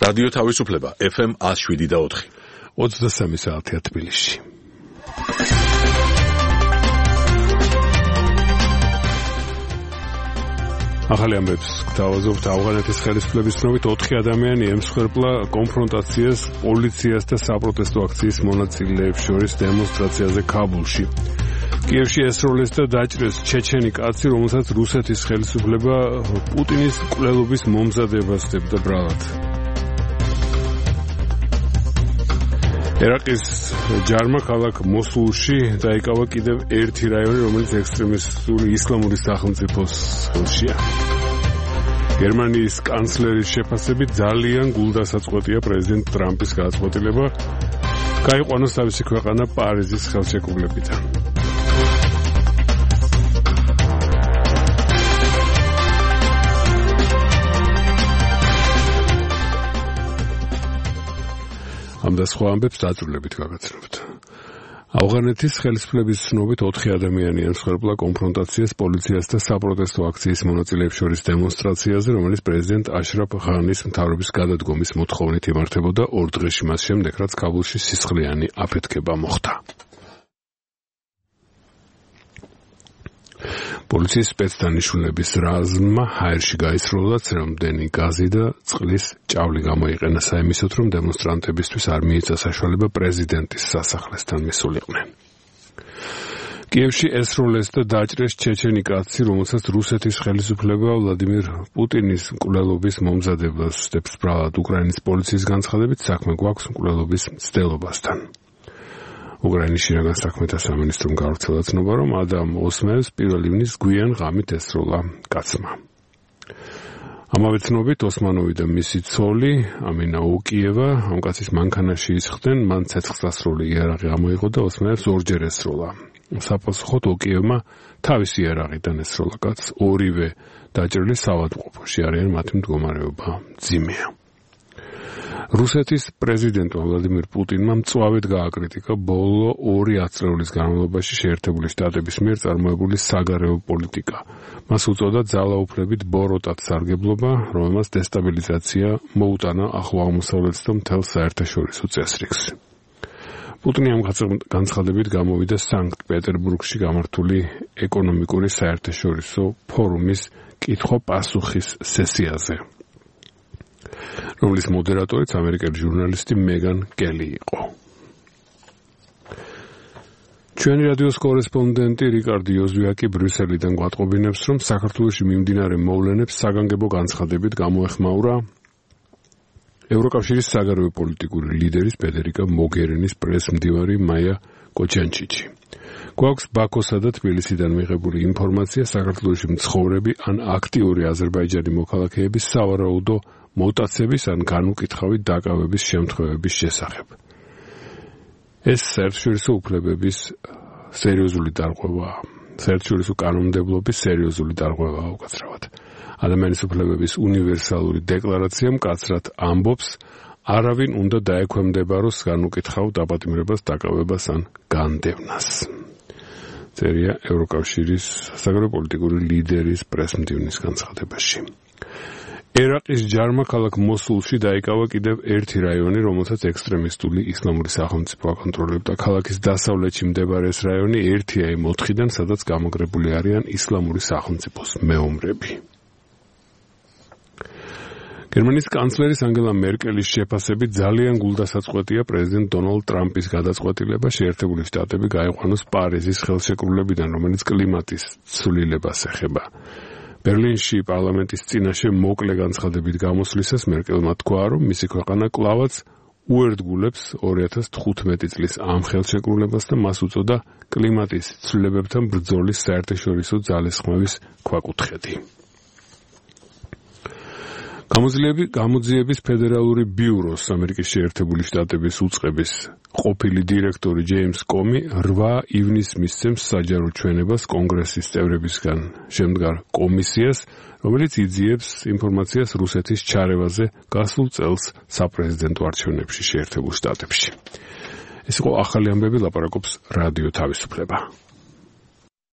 რადიო თავისუფლება FM 107.4 23 საათია თბილისში. ახალი ამბებს გთავაზობთ ავღანეთის ხელისუფლების ცნობით 4 ადამიანი ემსხვერპლა კონფრონტაციას პოლიციას და საპროტესტო აქციის მონაწილეებს შორის დემონსტრაციაზე ქაბულში. კიევში ესროლეს და დაჭრეს ჩეჩენი კაცი, რომელსაც რუსეთის ხელისუფლება პუტინის მკვლელობის მომზადებას დებდა ბრალად. ერაყის ჯარმა ქალაქ მოსულში დაიკავა კიდევ ერთი რაიონი, რომელიც ექსტრემისტული ისლამური სახელმწიფოს ხელშია. გერმანიის კანცლერის შეფასებით ძალიან გულდასაწყვეტია პრეზიდენტ ტრამპის გადაწყვეტილება გაიყვანოს თავისი ქვეყანა პარიზის ხელშეკრულებიდან. ამ და სხვა ამბებს დაწვრილებით გაგაცნობთ. ავღანეთის ხელისუფლების ცნობით 4 ადამიანი ემსხვერპლა კონფრონტაციას პოლიციას და საპროტესტო აქციის მონაწილეებს შორის დემონსტრაციაზე, რომელიც პრეზიდენტ აშრაფ ღანის მთავრობის გადადგომის მოთხოვნით იმართებოდა 2 დღეში მას შემდეგ, რაც ქაბულში სისხლიანი აფეთქება მოხდა. პოლიციის სპეცდანიშნულების რაზმმა ჰაერში გაისროლა ცრემლდენი გაზი და წყლის ჭავლი გამოიყენა საიმისოდ, რომ დემონსტრანტებისთვის არ მიეცა საშუალება პრეზიდენტის სასახლესთან მისულიყვნენ. კიევში ესროლეს და დაჭრეს ჩეჩენი კაცი, რომელსაც რუსეთის ხელისუფლება ვლადიმირ პუტინის მკვლელობის მომზადებას დებს ბრალად. უკრაინის პოლიციის განცხადებით საქმე გვაქვს მკვლელობის მცდელობასთან. უკრაინის შინაგან საქმეთა სამინისტრომ გავრცელა ცნობა, რომ ადამ ოსმევს 1 ივნის გვიან ღამით ესროლა კაცმა. ამავე ცნობით ოსმანოვი და მისი ცოლი ამინა ოკიევა ამ კაცის მანქანაში ისხდნენ, მან ცეცხლსასროლი იარაღი ამოიღო და ოსმევს ორჯერ ესროლა. საპასუხოდ ოკიევმა თავისი იარაღიდან ესროლა კაცს, ორივე დაჭრილი საავადმყოფოში არიან, მათი მდგომარეობა მძიმეა. რუსეთის პრეზიდენტმა ვლადიმირ პუტინმა მწვავედ გააკრიტიკა ბოლო 2 ათწლეულის განმავლობაში შეერთებული შტატების მიერ წარმოებული საგარეო პოლიტიკა. მას უწოდა ძალაუფლებით ბოროტად სარგებლობა, რომელმაც დესტაბილიზაცია მოუტანა ახლო აღმოსავლეთს და მთელ საერთაშორისო წესრიგს. პუტინი ამ განცხადებით გამოვიდა სანქტ-პეტერბურგში გამართული ეკონომიკური საერთაშორისო ფორუმის კითხვა-პასუხის სესიაზე, რომლის მოდერატორიც ამერიკელი ჟურნალისტი მეგან კელი იყო. ჩვენი რადიოს კორესპონდენტი რიკარდი ოზვიაკი ბრიუსელიდან გვატყობინებს, რომ საქართველოში მიმდინარე მოვლენებს საგანგებო განცხადებით გამოეხმაურა ევროკავშირის საგარეო პოლიტიკური ლიდერის ფედერიკა მოგერინის პრესმდივარი მაია კოჩანჩიჩი. გვაქვს ბაქოსა და თბილისიდან მიღებული ინფორმაცია საქართველოში მცხოვრები ან აქტიური აზერბაიჯანი მოქალაქეების სავარაუდო მოტაცების ან განუკითხავით დაკავების შემთხვევების შესახებ. ეს საერთაშორისო უფლებების სერიოზული დარღვევაა. საერთაშორისო კანონმდებლობის სერიოზული დარღვევაა უკაცრავად. ადამიანის უფლებების უნივერსალური დეკლარაცია მკაცრად ამბობს, არავინ უნდა დაექვემდებაროს განუკითხავ დაპატიმრებას, დაკავებას ან განდევნას. წერია ევროკავშირის საგარეო პოლიტიკური ლიდერის პრესმდივნის განცხადებაში. ერაყის ჯარმა ქალაქ მოსულში დაიკავა კიდევ ერთი რაიონი, რომელსაც ექსტრემისტული ისლამური სახელმწიფო აკონტროლებდა. ქალაქის დასავლეთში მდებარე ეს რაიონი ერთია იმ 4-დან, სადაც გამაგრებული არიან ისლამური სახელმწიფოს მეომრები. გერმანიის კანცლერის ანგელა მერკელის შეფასებით ძალიან გულდასაწყვეტია პრეზიდენტ დონალდ ტრამპის გადაწყვეტილება შეერთებული შტატები გაიყვანოს პარიზის ხელშეკრულებიდან, რომელიც კლიმატის ცვლილებას ეხება. ბერლინში პარლამენტის წინაშე მოკლე განცხადებით გამოსვლისას მერკელმა თქვა, რომ მისი ქვეყანა კლავაც უერთგულებს 2015 წლის ამ ხელშეკრულებას და მას უწოდა კლიმატის ცვლილებებთან ბრძოლის საერთაშორისო ძალისხმევის ქვაკუთხედი. გამოძიების ფედერალური ბიუროს ამერიკის შეერთებული შტატების უწყების ყოფილი დირექტორი ჯეიმს კომი 8 ივნისს მისცემს საჯარო ჩვენებას კონგრესის წევრებისგან შემდგარ კომისიას, რომელიც იძიებს ინფორმაციას რუსეთის ჩარევაზე გასულ წელს საპრეზიდენტო არჩევნებში შეერთებულ შტატებში. ეს იყო ახალი ამბები, ლაპარაკობს რადიო თავისუფლება.